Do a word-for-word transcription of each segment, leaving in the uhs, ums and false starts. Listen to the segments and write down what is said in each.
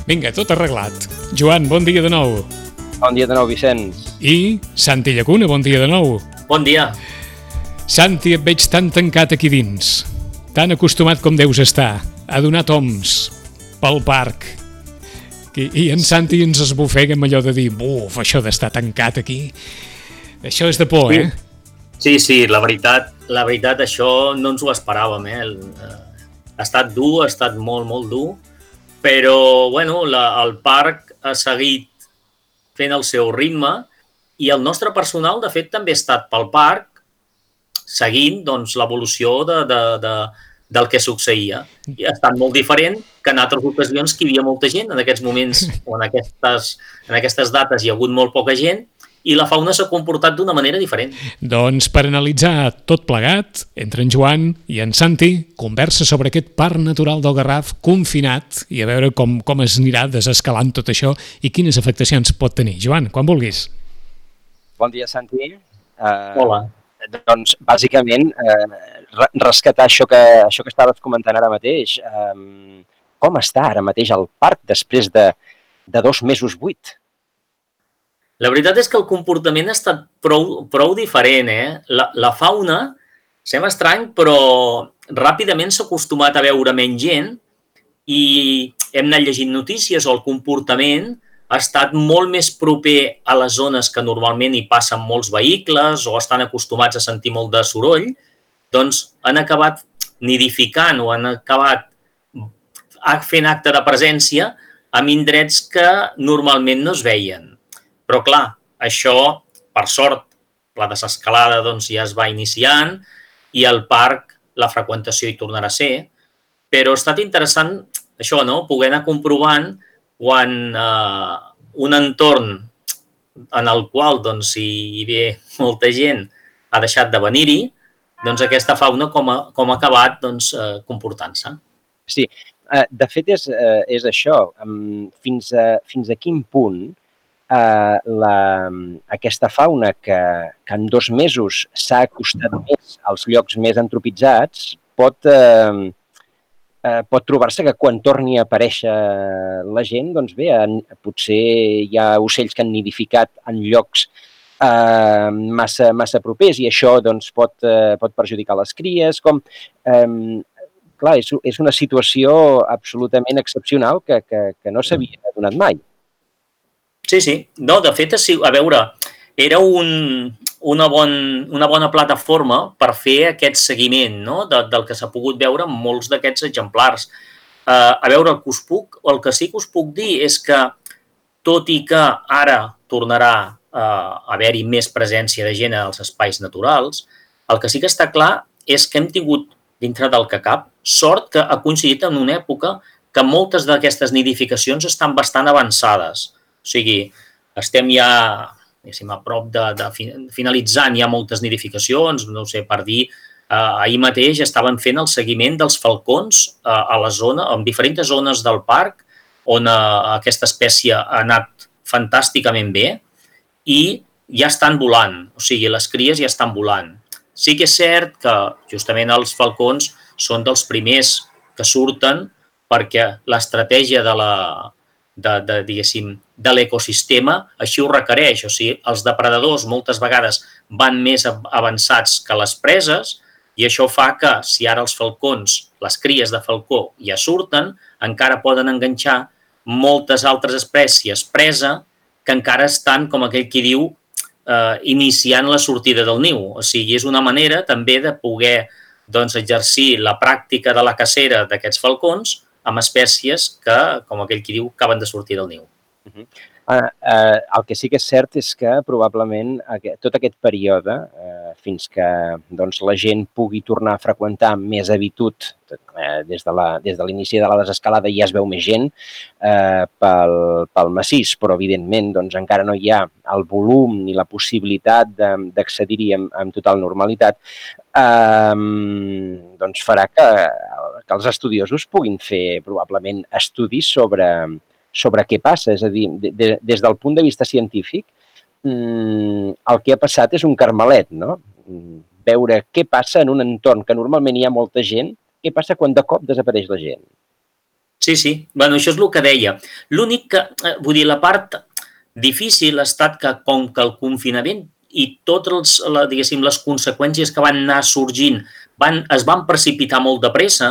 Vinga, tot arreglat. Joan, bon dia de nou. Bon dia de nou, Vicenç. I Santi Llacuna, bon dia de nou. Bon dia. Santi, et veig tan tancat aquí dins, tan acostumat com deus estar a donar toms pel parc. I, i en Santi ens esbufega amb allò de dir, buf, això d'estar tancat aquí, això és de por, sí. eh? Sí, sí, la veritat, la veritat, això no ens ho esperàvem, eh? El, eh, ha estat dur, ha estat molt, molt dur, però, bueno, la, el parc ha seguit fent el seu ritme i el nostre personal, de fet, també ha estat pel parc seguint, doncs, l'evolució de, de, de, del que succeïa. I ha estat molt diferent que en altres ocasions que hi havia molta gent. En aquests moments o en aquestes, en aquestes dates hi ha hagut molt poca gent i la fauna s'ha comportat d'una manera diferent. Doncs per analitzar tot plegat, entre en Joan i en Santi, conversa sobre aquest parc natural del Garraf confinat i a veure com, com es anirà desescalant tot això i quines afectacions pot tenir. Joan, quan vulguis. Bon dia, Santi. Uh, Hola. Doncs, bàsicament, uh, rescatar això que, això que estaves comentant ara mateix. Um, com està ara mateix el parc després de, de dos mesos buit? La veritat és que el comportament ha estat prou, prou diferent, eh? La, la fauna, sembla estrany, però ràpidament s'ha acostumat a veure menys gent i hem anat llegint notícies o el comportament ha estat molt més proper a les zones que normalment hi passen molts vehicles o estan acostumats a sentir molt de soroll, doncs han acabat nidificant o han acabat fent acte de presència en indrets que normalment no es veien. Però, clar, això, per sort, la desescalada doncs, ja es va iniciant i al parc la freqüentació hi tornarà a ser, però ha estat interessant això, no? Poder anar comprovant quan eh, un entorn en el qual doncs, hi ve molta gent ha deixat de venir-hi, doncs aquesta fauna com ha, com ha acabat doncs, eh, comportant-se. Sí, eh, de fet és, eh, és això. Fins a, fins a quin punt Uh, la, aquesta fauna que, que en dos mesos s'ha acostat més als llocs més antropitzats pot, uh, uh, pot trobar-se que quan torni a aparèixer la gent, doncs bé, en, potser hi ha ocells que han nidificat en llocs uh, massa, massa propers i això doncs, pot, uh, pot perjudicar les cries. Com, um, clar, és, és una situació absolutament excepcional que, que, que no s'havia donat mai. Sí, sí. No, de fet, a veure, era un, una, bon, una bona plataforma per fer aquest seguiment, no? de, del que s'ha pogut veure en molts d'aquests exemplars. Uh, a veure, el que us puc, el que sí que us puc dir és que, tot i que ara tornarà uh, a haver-hi més presència de gent als espais naturals, el que sí que està clar és que hem tingut, dintre del que cap, sort que ha coincidit en una època que moltes d'aquestes nidificacions estan bastant avançades. O sigui, estem ja a prop de, de finalitzant ja moltes nidificacions, no sé, per dir, eh, ahir mateix estaven fent el seguiment dels falcons eh, a la zona, en diferents zones del parc, on eh, aquesta espècie ha anat fantàsticament bé i ja estan volant, o sigui, les cries ja estan volant. Sí que és cert que justament els falcons són dels primers que surten perquè l'estratègia de la de, de, diguéssim, de l'ecosistema així ho requereix. O sigui, els depredadors moltes vegades van més avançats que les preses i això fa que si ara els falcons, les cries de falcó ja surten, encara poden enganxar moltes altres espècies presa que encara estan, com aquell qui diu, eh, iniciant la sortida del niu. O sigui, és una manera també de poder doncs, exercir la pràctica de la cacera d'aquests falcons amb espècies que, com aquell qui diu, acaben de sortir del niu. Uh-huh. uh, uh, el que sí que és cert és que probablement aquest, tot aquest període, uh, fins que doncs, la gent pugui tornar a freqüentar més habitud, uh, des de la, des de l'inici de la desescalada ja es veu més gent uh, pel, pel massís, però evidentment doncs, encara no hi ha el volum ni la possibilitat d'accedir-hi amb, amb total normalitat, uh, doncs farà que que els estudiosos puguin fer probablement estudis sobre, sobre què passa. És a dir, de, de, des del punt de vista científic, mmm, el que ha passat és un carmelet, no? Veure què passa en un entorn que normalment hi ha molta gent, què passa quan de cop desapareix la gent. Sí, sí. Bueno, això és el que deia. L'únic que, vull dir, la part difícil ha estat que, com que el confinament i totes les, diguéssim, les conseqüències que van anar sorgint van, es van precipitar molt de pressa,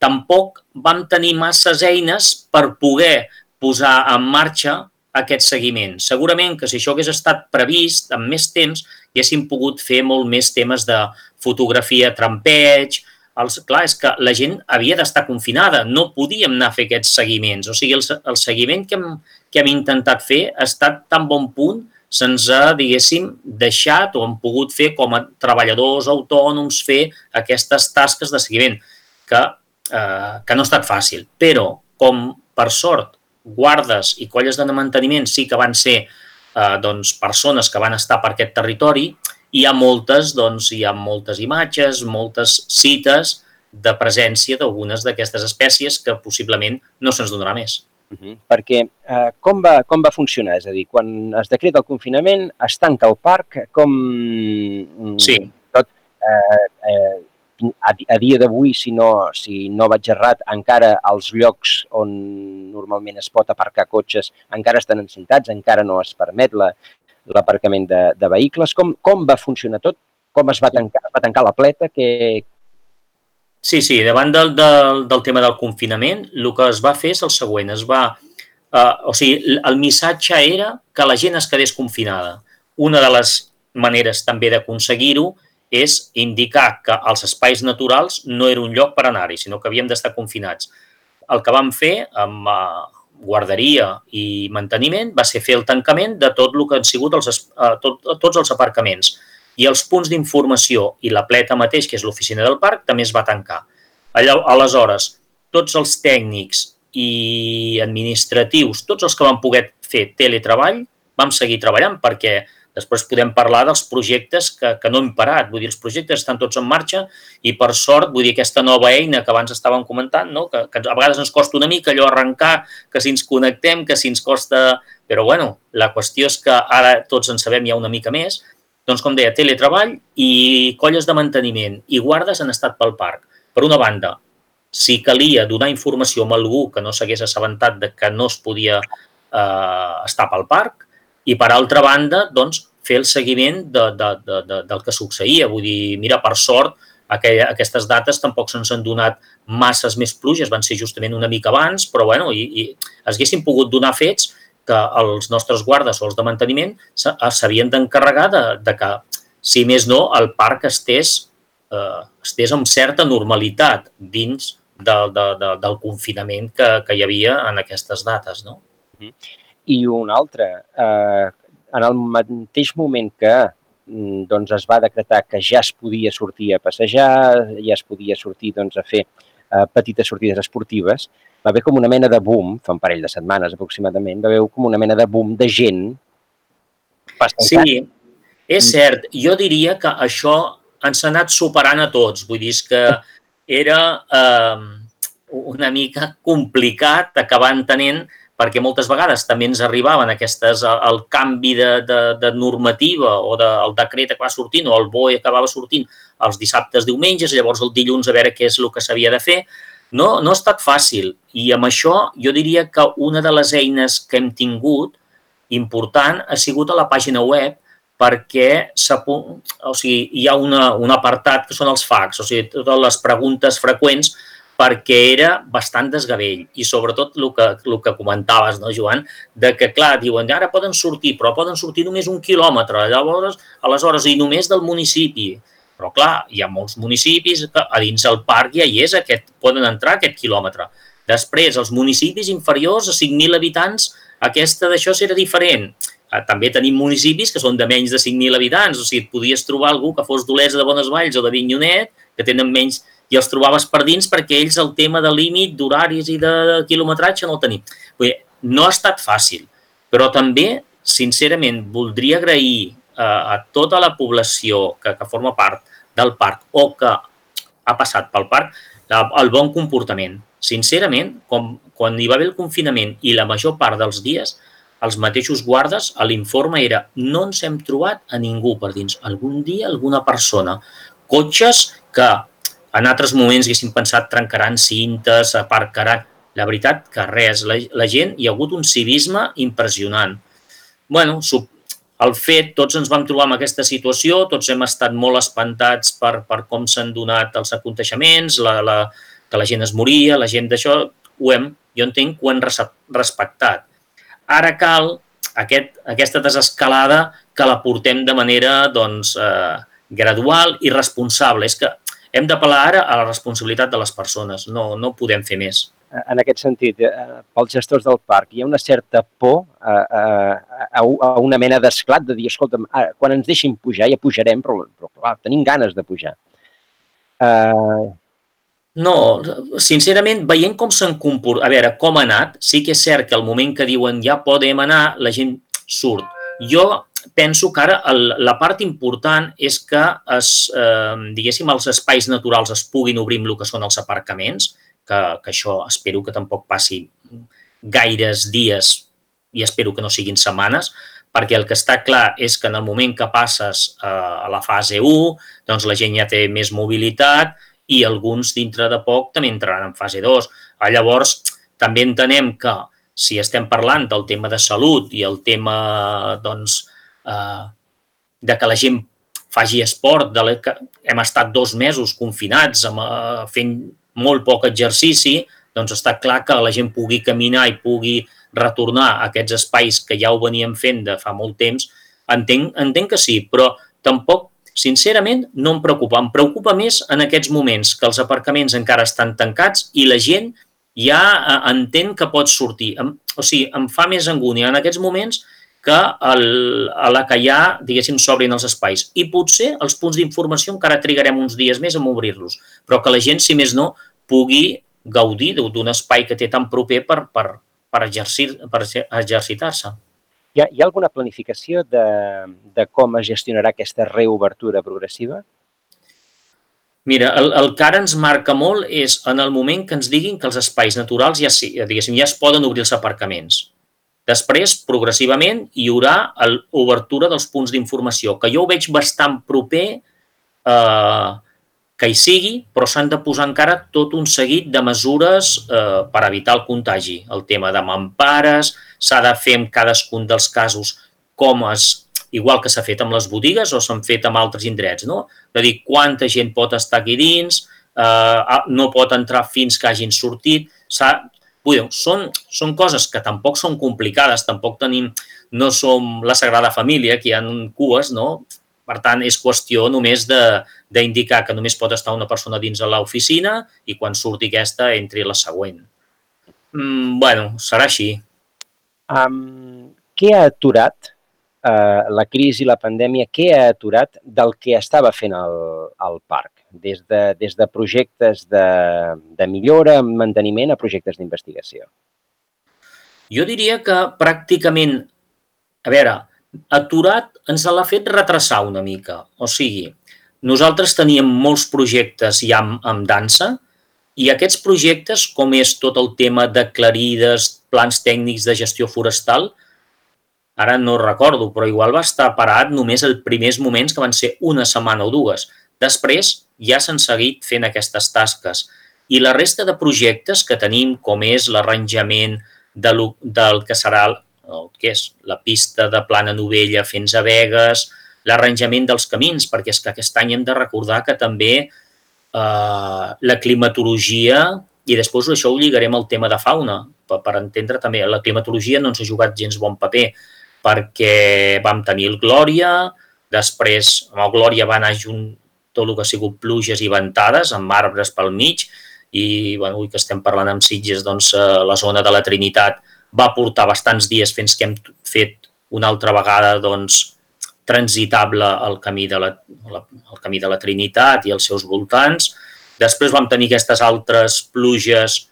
tampoc vam tenir masses eines per poder posar en marxa aquest seguiment. Segurament que si això hagués estat previst amb més temps, haguéssim pogut fer molt més temes de fotografia, trampeig. Els, clar, és que la gent havia d'estar confinada, no podíem anar a fer aquests seguiments. O sigui, el, el seguiment que hem, que hem intentat fer ha estat tan bon punt, se'ns ha, diguéssim, deixat o hem pogut fer com a treballadors autònoms fer aquestes tasques de seguiment, que, eh, que no ha estat fàcil. Però, com per sort, guardes i colles de manteniment sí que van ser eh, doncs, persones que van estar per aquest territori, hi ha moltes, doncs, hi ha moltes imatges, moltes cites de presència d'algunes d'aquestes espècies que possiblement no se'ns donarà més. Uh-huh. Perquè eh, com, va, com va funcionar? És a dir, quan es decreta el confinament, es tanca el parc, com... Sí. Tot, eh, eh, a, a dia d'avui, si, no, si no vaig errat, encara els llocs on normalment es pot aparcar cotxes encara estan encintats, encara no es permet la, l'aparcament de, de vehicles. Com, com va funcionar tot? Com es va tancar, es va tancar la pleta? Que... Sí, sí, davant del, del, del tema del confinament, el que es va fer és el següent. Es va, eh, o sigui, el missatge era que la gent es quedés confinada. Una de les maneres també d'aconseguir-ho és indicar que els espais naturals no era un lloc per anar-hi, sinó que havíem d'estar confinats. El que vam fer amb eh, guarderia i manteniment va ser fer el tancament de tot el que han sigut els, eh, tot, tots els aparcaments. I els punts d'informació i la pleta mateix, que és l'oficina del parc, també es va tancar. Allò, aleshores, tots els tècnics i administratius, tots els que van poder fer teletreball, vam seguir treballant perquè després podem parlar dels projectes que, que no hem parat. Vull dir, els projectes estan tots en marxa i, per sort, vull dir, aquesta nova eina que abans estàvem comentant, no? que, que a vegades ens costa una mica allò arrencar, que si ens connectem, que si ens costa... Però, bueno, la qüestió és que ara tots en sabem ja una mica més. Doncs, com deia, teletreball i colles de manteniment i guardes han estat pel parc. Per una banda, si calia donar informació a algú que no s'hagués assabentat de que no es podia eh, estar pel parc, i, per altra banda, doncs, fer el seguiment de, de, de, de, del que succeïa. Vull dir, mira, per sort, aquella, aquestes dates tampoc se'ns han donat masses més pluges, van ser justament una mica abans, però, bueno, i, i es haguessin pogut donar fets que els nostres guardes o els de manteniment s'havien d'encarregar de, de que, si més no, el parc estés, eh, estés amb certa normalitat dins de, de, de, del confinament que, que hi havia en aquestes dates, no? I un altre, eh, en el mateix moment que doncs, es va decretar que ja es podia sortir a passejar, ja es podia sortir doncs, a fer eh, petites sortides esportives, va haver com una mena de boom, fa un parell de setmanes aproximadament, va haver com una mena de boom de gent passejant. Sí, és cert. Jo diria que això ens ha anat superant a tots. Vull dir que era eh, una mica complicat acabar entenent perquè moltes vegades també ens arribaven aquestes, el canvi de, de, de normativa o de, el decret que va sortint o el B O E que acabava sortint els dissabtes, diumenges, llavors el dilluns a veure què és el que s'havia de fer. No, no ha estat fàcil i amb això jo diria que una de les eines que hem tingut important ha sigut a la pàgina web perquè o sigui, hi ha una, un apartat que són els fax, o sigui, totes les preguntes freqüents perquè era bastant desgavell i sobretot el que, el que comentaves, no, Joan, de que, clar, diuen, ara poden sortir, però poden sortir només un quilòmetre, llavors, aleshores, i només del municipi. Però, clar, hi ha molts municipis que a dins el parc ja hi és, aquest, poden entrar aquest quilòmetre. Després, els municipis inferiors a cinc mil habitants, aquesta d'això serà diferent. També tenim municipis que són de menys de cinc mil habitants, o sigui, et podies trobar algú que fos d'Olesa de Bonesvalls o de Avinyonet, que tenen menys, i els trobaves per dins perquè ells el tema de límit, d'horaris i de quilometratge no el tenim. Vull dir, no ha estat fàcil, però també, sincerament, voldria agrair a tota la població que, que forma part del parc o que ha passat pel parc el bon comportament. Sincerament, com, quan hi va haver el confinament i la major part dels dies, els mateixos guardes, l'informe era no ens hem trobat a ningú per dins. Algun dia, alguna persona. Cotxes que en altres moments haguéssim pensat trencaran cintes, aparcaran. la veritat que res, la, la gent, hi ha hagut un civisme impressionant. Bueno, el fet, tots ens vam trobar en aquesta situació, tots hem estat molt espantats per, per com s'han donat els aconteixements, la, la, que la gent es moria, la gent d'això, ho hem, jo entenc que ho hem respectat. Ara cal aquest, aquesta desescalada que la portem de manera doncs, eh, gradual i responsable. És que hem d'apel·lar ara a la responsabilitat de les persones, no, no podem fer més. En aquest sentit, eh, pels gestors del parc, hi ha una certa por a, a, a una mena d'esclat de dir, escolta, quan ens deixin pujar ja pujarem, però, però clar, tenim ganes de pujar. Uh... No, sincerament, veient com s'han comportat, a veure, com ha anat, sí que és cert que al moment que diuen ja podem anar, la gent surt. Jo penso que ara el, la part important és que es, eh, diguéssim, els espais naturals es puguin obrir amb el que són els aparcaments, que, que això espero que tampoc passi gaires dies i espero que no siguin setmanes, perquè el que està clar és que en el moment que passes eh, a la fase u, doncs la gent ja té més mobilitat i alguns dintre de poc també entraran en fase dos. Llavors, també entenem que si estem parlant del tema de salut i el tema doncs, eh, de que la gent faci esport, de la, que hem estat dos mesos confinats amb, eh, fent molt poc exercici, doncs està clar que la gent pugui caminar i pugui retornar a aquests espais que ja ho veníem fent de fa molt temps, entenc, entenc que sí, però tampoc, sincerament, no em preocupa. Em preocupa més en aquests moments que els aparcaments encara estan tancats i la gent ja entén que pot sortir. O sigui, em fa més angúnia en aquests moments que el, a la que ja, diguéssim, s'obrin els espais. I potser els punts d'informació encara trigarem uns dies més en obrir-los, però que la gent, si més no, pugui gaudir d'un espai que té tan proper per, per, per, exercir, per exercitar-se. Hi ha, hi ha alguna planificació de, de com es gestionarà aquesta reobertura progressiva? Mira, el, el que ara ens marca molt és en el moment que ens diguin que els espais naturals ja, diguéssim, ja es poden obrir els aparcaments. Després, progressivament, hi haurà l'obertura dels punts d'informació, que jo ho veig bastant proper eh, que hi sigui, però s'han de posar encara tot un seguit de mesures eh, per evitar el contagi. El tema de mampares, s'ha de fer en cadascun dels casos com es, igual que s'ha fet amb les botigues o s'han fet amb altres indrets, no? És a dir, quanta gent pot estar aquí dins, eh, no pot entrar fins que hagin sortit, s'ha... Són, són coses que tampoc són complicades, tampoc tenim, no som la Sagrada Família, que hi ha cues, no? Per tant, és qüestió només d'indicar que només pot estar una persona dins de l'oficina i quan surti aquesta entri la següent. Mm, bueno, serà així. Um, què ha aturat uh, la crisi i la pandèmia? Què ha aturat del que estava fent el, el parc? Des de, des de projectes de, de millora, manteniment, a projectes d'investigació? Jo diria que pràcticament, a veure, aturat ens l'ha fet retrasar una mica. O sigui, nosaltres teníem molts projectes ja amb, amb dansa i aquests projectes, com és tot el tema d'aclarides, plans tècnics de gestió forestal, ara no recordo, però igual va estar parat només els primers moments que van ser una setmana o dues. Després ja s'han seguit fent aquestes tasques. I la resta de projectes que tenim, com és l'arranjament de lo, del que serà el que és la pista de Plana Novella fins a Begues, l'arranjament dels camins, perquè és que aquest any hem de recordar que també eh, la climatologia, i després això ho lligarem al tema de fauna, per, per entendre també, la climatologia no ens ha jugat gens bon paper, perquè vam tenir el Glòria, després amb el Glòria va anar junt tot el que ha sigut pluges i ventades, amb arbres pel mig, i bueno, avui que estem parlant amb Sitges, doncs la zona de la Trinitat va portar bastants dies fins que hem fet una altra vegada doncs, transitable el camí, de la, el camí de la Trinitat i els seus voltants. Després vam tenir aquestes altres pluges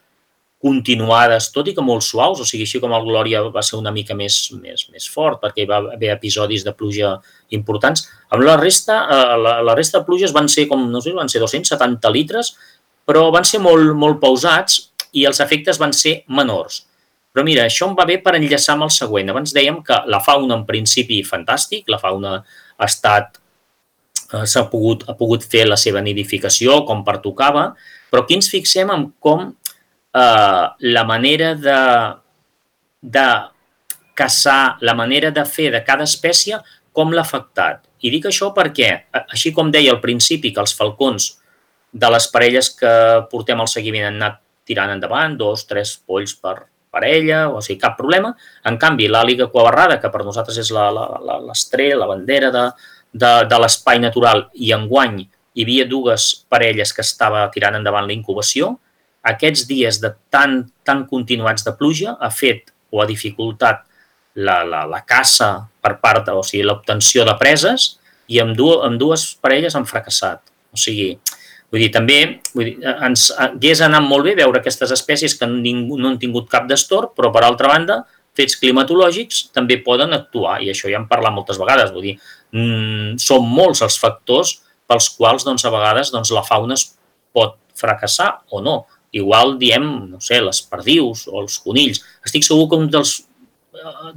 continuades, tot i que molt suaus, o sigui, així com el Glòria va ser una mica més, més, més fort, perquè hi va haver episodis de pluja importants. Amb la resta, la, la resta de pluges van ser, com no sé, van ser dos-cents setanta litres, però van ser molt, molt pausats i els efectes van ser menors. Però mira, això em va bé per enllaçar amb el següent. Abans dèiem que la fauna, en principi, fantàstic, la fauna ha estat, s'ha pogut, ha pogut fer la seva nidificació com pertocava, però aquí ens fixem en com eh, la manera de, de caçar, la manera de fer de cada espècie, com l'ha afectat. I dic això perquè, així com deia al principi que els falcons de les parelles que portem al seguiment han anat tirant endavant, dos, tres polls per parella, o sigui, cap problema. En canvi, l'àliga cuabarrada, que per nosaltres és l'estrella, la, la, la bandera de, de, de l'espai natural, i enguany hi havia dues parelles que estava tirant endavant la incubació, aquests dies de tan, tan continuats de pluja ha fet o ha dificultat la, la, la caça per part, o sigui, l'obtenció de preses, i amb, du, amb dues parelles han fracassat. O sigui, vull dir, també vull dir, ens hagués anat molt bé veure aquestes espècies que ningú, no han tingut cap destorb, però per altra banda, fets climatològics també poden actuar, i això ja hem parlat moltes vegades. Vull dir, mmm, són molts els factors pels quals doncs, a vegades doncs, la fauna es pot fracassar o no. Igual diem, no sé, les perdius o els conills. Estic segur que un dels,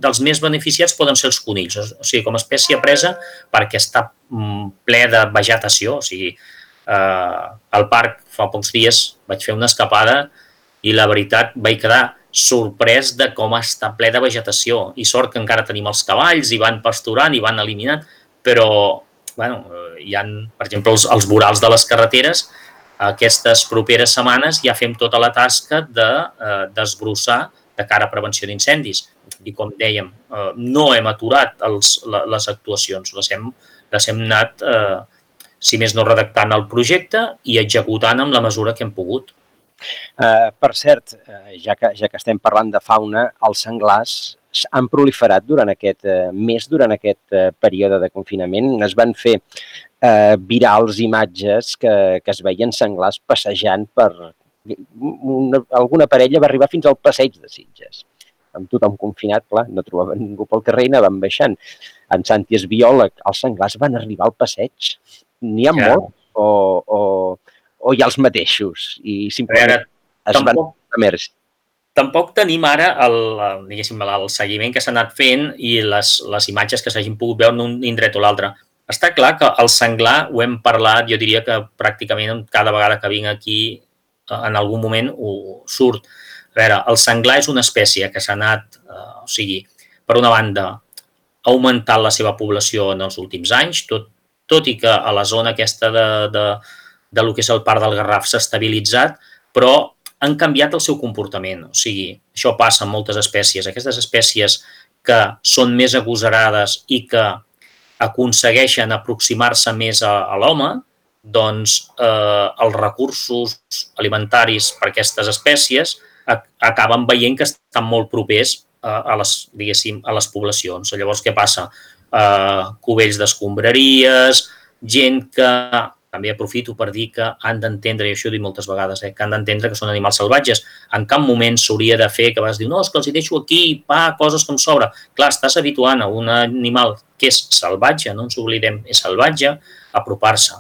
dels més beneficiats poden ser els conills, o sigui, com a espècie presa perquè està ple de vegetació. O sigui, eh, al parc fa pocs dies vaig fer una escapada i la veritat vaig quedar sorprès de com està ple de vegetació. I sort que encara tenim els cavalls i van pasturant i van eliminant, però bueno, hi ha, per exemple, els, els vorals de les carreteres. Aquestes properes setmanes ja fem tota la tasca de eh, desbrossar de cara a prevenció d'incendis. I com dèiem, eh, no hem aturat els, les actuacions, les hem, les hem anat, eh, si més no, redactant el projecte i executant amb la mesura que hem pogut. Uh, per cert, uh, ja, que, ja que estem parlant de fauna, els senglars han proliferat durant aquest uh, mes, durant aquest uh, període de confinament. Es van fer uh, virals imatges que, que es veien senglars passejant per... Una, alguna parella va arribar fins al passeig de Sitges. Amb tothom confinat, clar, no trobaven ningú pel carrer i anaven baixant. En Santi és biòleg, els senglars van arribar al passeig. N'hi ha ja. molts o... o o hi ha els mateixos i simplement ara, es tampoc, van emergir. Tampoc tenim ara el, diguéssim, el seguiment que s'ha anat fent i les, les imatges que s'hagin pogut veure en un indret o l'altre. Està clar que el senglar, ho hem parlat, jo diria que pràcticament cada vegada que vinc aquí en algun moment ho surt. A veure, el senglar és una espècie que s'ha anat, eh, o sigui, per una banda, augmentant la seva població en els últims anys, tot, tot i que a la zona aquesta de, de de lo que és el parc del Garraf s'ha estabilitzat, però han canviat el seu comportament. O sigui, això passa amb moltes espècies. Aquestes espècies que són més agosarades i que aconsegueixen aproximar-se més a, a l'home, doncs eh, els recursos alimentaris per a aquestes espècies a, acaben veient que estan molt propers a, a, les, diguéssim, a les poblacions. Llavors, què passa? Eh, cubells d'escombraries, gent que... També aprofito per dir que han d'entendre, i això ho dic moltes vegades, eh, que han d'entendre que són animals salvatges. En cap moment s'hauria de fer que vas dir no, és que els hi deixo aquí, pa, coses com sobra. Clar, estàs habituant a un animal que és salvatge, no ens oblidem, és salvatge, a apropar-se.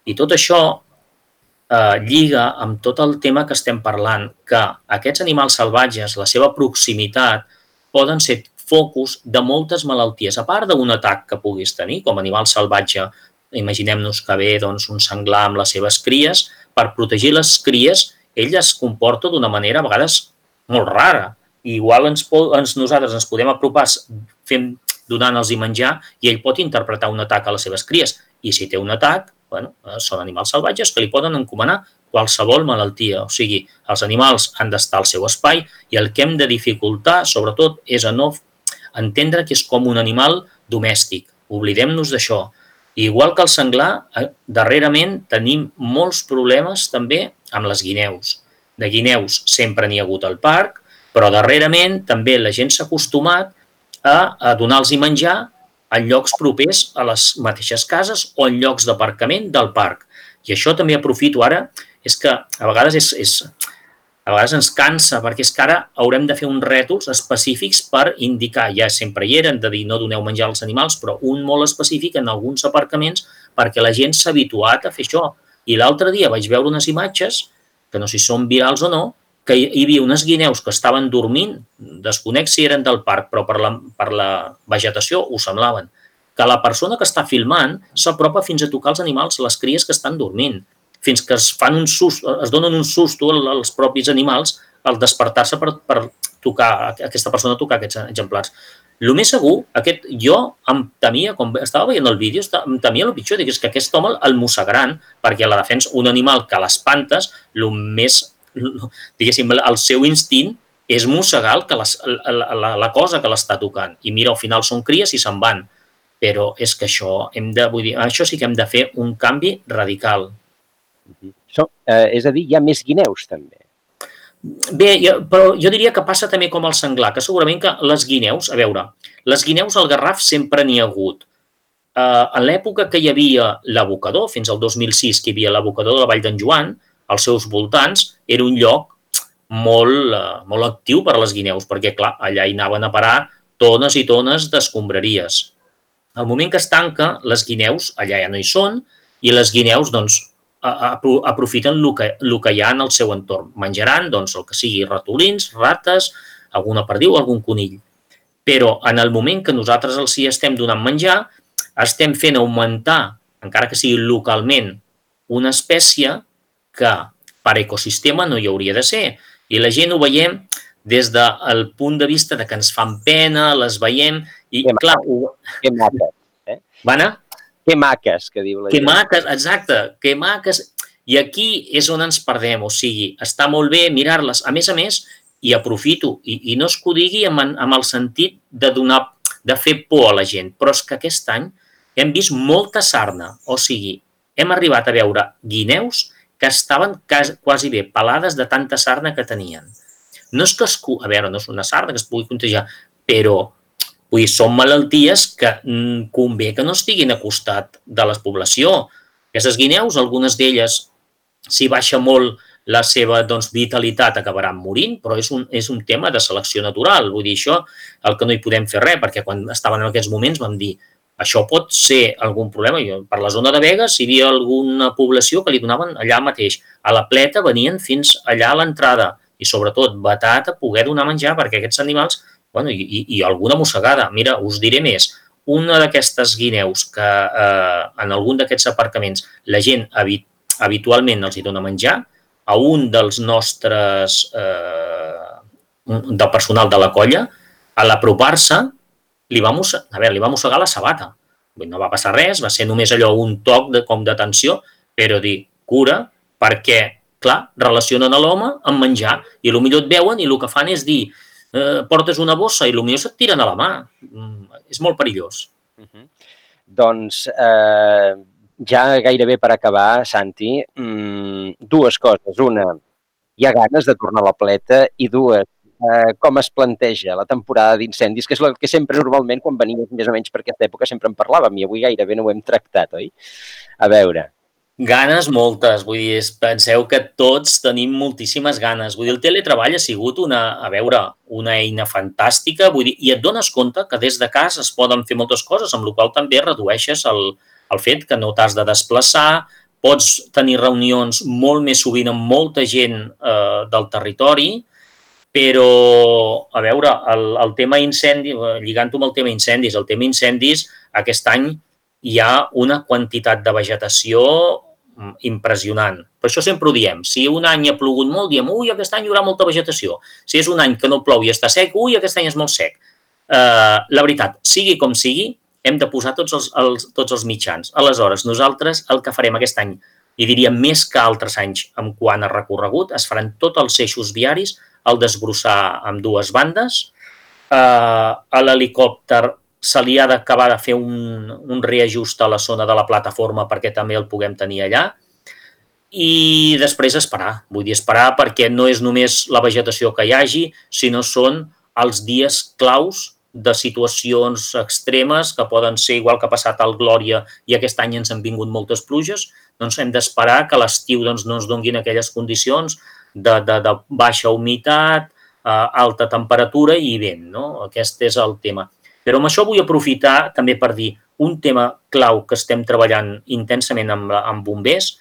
I tot això eh, lliga amb tot el tema que estem parlant, que aquests animals salvatges, la seva proximitat, poden ser focus de moltes malalties, a part d'un atac que puguis tenir com a animal salvatge. Imaginem-nos que ve doncs, un senglar amb les seves cries. Per protegir les cries, ell es comporta d'una manera a vegades molt rara. I igual ens, ens, nosaltres ens podem apropar fent, donant-los menjar i ell pot interpretar un atac a les seves cries. I si té un atac, bueno, són animals salvatges que li poden encomanar qualsevol malaltia. O sigui, els animals han d'estar al seu espai i el que hem de dificultar, sobretot, és a no entendre que és com un animal domèstic. Oblidem-nos d'això. Igual que el senglar, darrerament tenim molts problemes també amb les guineus. De guineus sempre n'hi ha hagut al parc, però darrerament també la gent s'ha acostumat a, a donar-los menjar en llocs propers a les mateixes cases o en llocs d'aparcament del parc. I això també aprofito ara, és que a vegades és, és a vegades ens cansa, perquè és que ara haurem de fer uns rètols específics per indicar, ja sempre hi eren, de dir no doneu menjar als animals, però un molt específic en alguns aparcaments perquè la gent s'ha habituat a fer això. I l'altre dia vaig veure unes imatges, que no sé si són virals o no, que hi havia unes guineus que estaven dormint, desconec si eren del parc, però per la, per la vegetació ho semblaven, que la persona que està filmant s'apropa fins a tocar els animals, les cries que estan dormint. fins que es fan un susto, es donen un susto als propis animals al despertar-se per, per tocar, aquesta persona tocar aquests exemplars. El més segur, aquest, jo em temia, com estava veient el vídeo, em temia el pitjor, dic, és que aquest home el mossegaran, perquè a la defensa, un animal que l'espantes, el més, diguéssim, el seu instint és mossegar que les, la, la, la cosa que l'està tocant. I mira, al final són cries i se'n van. Però és que això, hem de, vull dir, això sí que hem de fer un canvi radical. So, eh, és a dir, hi ha més guineus, també. Bé, jo, però jo diria que passa també com el senglar, que segurament que les guineus, a veure, les guineus al Garraf sempre n'hi ha hagut. Uh, en l'època que hi havia l'abocador, fins al dos mil sis, que hi havia l'abocador de la Vall d'en Joan, als seus voltants, era un lloc molt, uh, molt actiu per a les guineus, perquè, clar, allà hi anaven a parar tones i tones d'escombraries. Al moment que es tanca, les guineus allà ja no hi són, i les guineus, doncs, aprofiten el que, el que hi ha en el seu entorn. Menjaran doncs, el que sigui ratolins, rates, alguna perdiu, algun conill. Però en el moment que nosaltres els hi estem donant menjar, estem fent augmentar, encara que sigui localment, una espècie que per ecosistema no hi hauria de ser. I la gent ho veiem des del punt de vista de que ens fan pena, les veiem i, que clar... Ho... Que maques, eh? Va anar? Que maques, que diu la gent. Que gent. maques, exacte, que maques. I aquí és on ens perdem, o sigui, està molt bé mirar-les. A més a més, i aprofito, i, i no es que ho digui amb, amb el sentit de donar, de fer por a la gent, però és que aquest any hem vist molta sarna, o sigui, hem arribat a veure guineus que estaven quasi bé pelades de tanta sarna que tenien. No és que es... A veure, no és una sarna que es pugui contagiar, però vull dir, són malalties que convé que no estiguin a costat de la població. Aquestes guineus, algunes d'elles, si baixa molt la seva doncs, vitalitat, acabaran morint, però és un, és un tema de selecció natural. Vull dir, això, el que no hi podem fer res, perquè quan estaven en aquests moments vam dir això pot ser algun problema. Per la zona de Begues hi havia alguna població que li donaven allà mateix. A la Pleta venien fins allà a l'entrada i, sobretot, vetat a poder donar menjar perquè aquests animals, bueno, i, i, i alguna mossegada. Mira, us diré més. Una d'aquestes guineus que eh, en algun d'aquests aparcaments la gent habit, habitualment els hi dona menjar, a un dels nostres, eh, del personal de la colla, a l'apropar-se, li va mossegar, a veure, li va mossegar la sabata. No va passar res, va ser només allò un toc de, com d'atenció, però dir, cura, perquè, clar, relacionen a l'home amb menjar i potser et veuen i el que fan és dir eh, portes una bossa i potser se't tiren a la mà. Mm, és molt perillós. Uh-huh. Doncs eh, ja gairebé per acabar, Santi, mmm, dues coses. Una, hi ha ganes de tornar a la Pleta i dues, eh, com es planteja la temporada d'incendis, que és el que sempre normalment quan venies més o menys per aquesta època sempre en parlàvem i avui gairebé no ho hem tractat, oi? A veure... Ganes moltes, vull dir, penseu que tots tenim moltíssimes ganes. Vull dir, el teletreball ha sigut una, a veure, una eina fantàstica, vull dir, i et dones compte que des de casa es poden fer moltes coses, amb la qual també redueixes el, el fet que no t'has de desplaçar, pots tenir reunions molt més sovint amb molta gent eh, del territori, però, a veure, el, el tema incendi, lligant-ho amb el tema incendis, el tema incendis, aquest any hi ha una quantitat de vegetació impressionant. Per això sempre ho diem. Si un any ha plogut molt, diem, ui, aquest any hi haurà molta vegetació. Si és un any que no plou i està sec, ui, aquest any és molt sec. Uh, la veritat, sigui com sigui, hem de posar tots els, els, tots els mitjans. Aleshores, nosaltres el que farem aquest any, i diria més que altres anys en quant a recorregut, es faran tots els eixos viaris al desbrossar amb dues bandes. Uh, a l'helicòpter se li ha d'acabar de fer un, un reajust a la zona de la plataforma perquè també el puguem tenir allà i després esperar. Vull dir, esperar perquè no és només la vegetació que hi hagi, sinó són els dies claus de situacions extremes que poden ser igual que ha passat al Glòria i aquest any ens han vingut moltes pluges, doncs hem d'esperar que a l'estiu doncs, no ens donguin aquelles condicions de, de, de baixa humitat, eh, alta temperatura i vent, no? Aquest és el tema. Però amb això vull aprofitar també per dir un tema clau que estem treballant intensament amb, amb bombers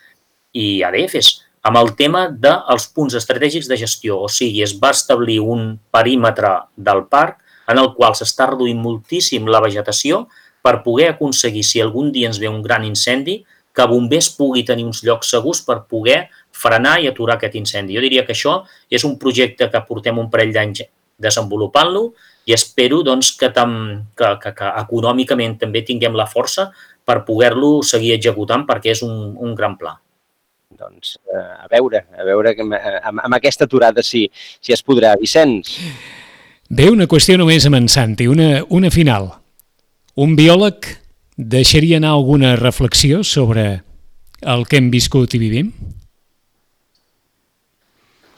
i A D Fs, amb el tema dels punts estratègics de gestió. O sigui, es va establir un perímetre del parc en el qual s'està reduint moltíssim la vegetació per poder aconseguir, si algun dia ens ve un gran incendi, que bombers pugui tenir uns llocs segurs per poder frenar i aturar aquest incendi. Jo diria que això és un projecte que portem un parell d'anys desenvolupant-lo i espero doncs, que, tam, que, que, que econòmicament també tinguem la força per poder-lo seguir executant perquè és un, un gran pla. Doncs eh, a veure, a veure amb, amb, amb aquesta aturada si, si es podrà. Vicenç? Bé, una qüestió només amb en Santi, una, una final. Un biòleg deixaria anar alguna reflexió sobre el que hem viscut i vivim?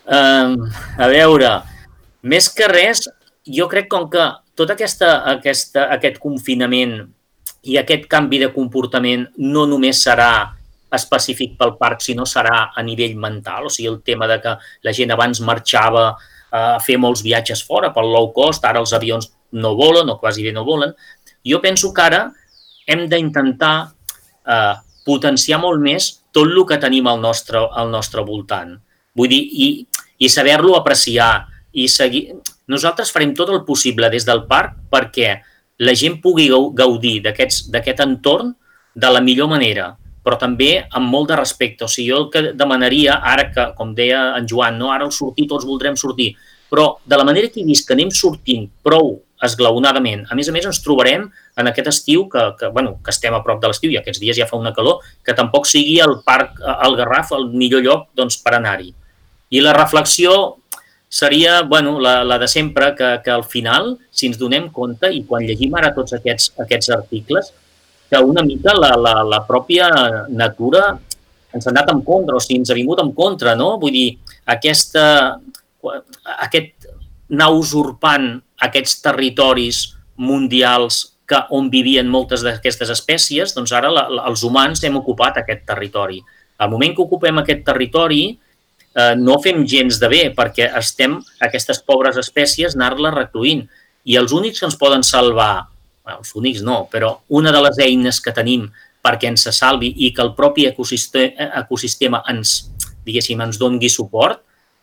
Um, a veure, més que res, jo crec com que tot aquesta, aquesta, aquest confinament i aquest canvi de comportament no només serà específic pel parc, sinó serà a nivell mental, o sigui, el tema de que la gent abans marxava a fer molts viatges fora pel low cost, ara els avions no volen o quasi bé no volen. Jo penso que ara hem d'intentar eh, potenciar molt més tot el que tenim al nostre, al nostre voltant. Vull dir, i, i saber-lo apreciar i seguir... Nosaltres farem tot el possible des del parc perquè la gent pugui gaudir d'aquest entorn de la millor manera, però també amb molt de respecte. O sigui, jo el que demanaria, ara que, com deia en Joan, no? Ara al sortir tots voldrem sortir, però de la manera que he vist que anem sortint prou esglaonadament, a més a més ens trobarem en aquest estiu, que, que, bueno, que estem a prop de l'estiu i aquests dies ja fa una calor, que tampoc sigui el parc, el Garraf, el millor lloc doncs, per anar-hi. I la reflexió seria bueno, la, la de sempre, que, que al final, si ens donem compte, i quan llegim ara tots aquests, aquests articles, que una mica la, la, la pròpia natura ens ha anat en contra, o sigui, ens ha vingut en contra, no? Vull dir, aquesta, aquest anar usurpant aquests territoris mundials que, on vivien moltes d'aquestes espècies, doncs ara la, la, els humans hem ocupat aquest territori. Al moment que ocupem aquest territori, eh, no fem gens de bé, perquè estem aquestes pobres espècies anar-les recluint. I els únics que ens poden salvar, bueno, els únics no, però una de les eines que tenim perquè ens se salvi i que el propi ecosistema, ecosistema ens, diguéssim, ens doni suport,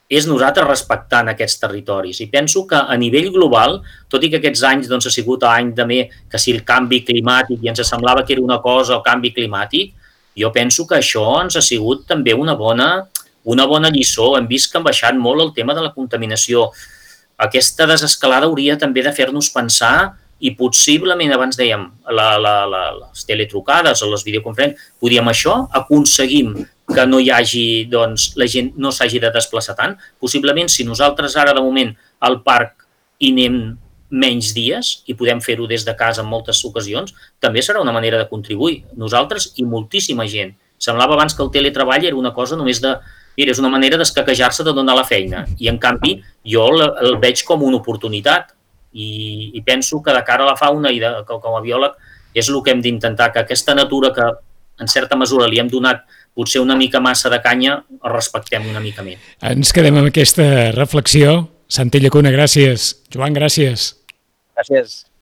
és nosaltres respectant aquests territoris. I penso que a nivell global, tot i que aquests anys doncs, ha sigut any també que si el canvi climàtic i ens semblava que era una cosa o canvi climàtic, jo penso que això ens ha sigut també una bona, una bona lliçó. Hem vist que han baixat molt el tema de la contaminació. Aquesta desescalada hauria també de fer-nos pensar i possiblement, abans dèiem, la, la, la, les teletrucades o les videoconferències, podíem això, aconseguim que no hi hagi, doncs, la gent no s'hagi de desplaçar tant. Possiblement, si nosaltres ara, de moment, al parc hi anem menys dies i podem fer-ho des de casa en moltes ocasions, també serà una manera de contribuir. Nosaltres i moltíssima gent. Semblava abans que el teletreball era una cosa només de... Mira, és una manera d'escaquejar-se de donar la feina. I, en canvi, jo el, el veig com una oportunitat. I, i penso que de cara a la fauna i de, com a biòleg és el que hem d'intentar, que aquesta natura que en certa mesura li hem donat potser una mica massa de canya, el respectem una mica més. Ens quedem amb aquesta reflexió. Santi Llacuna, gràcies. Joan, gràcies. Gràcies.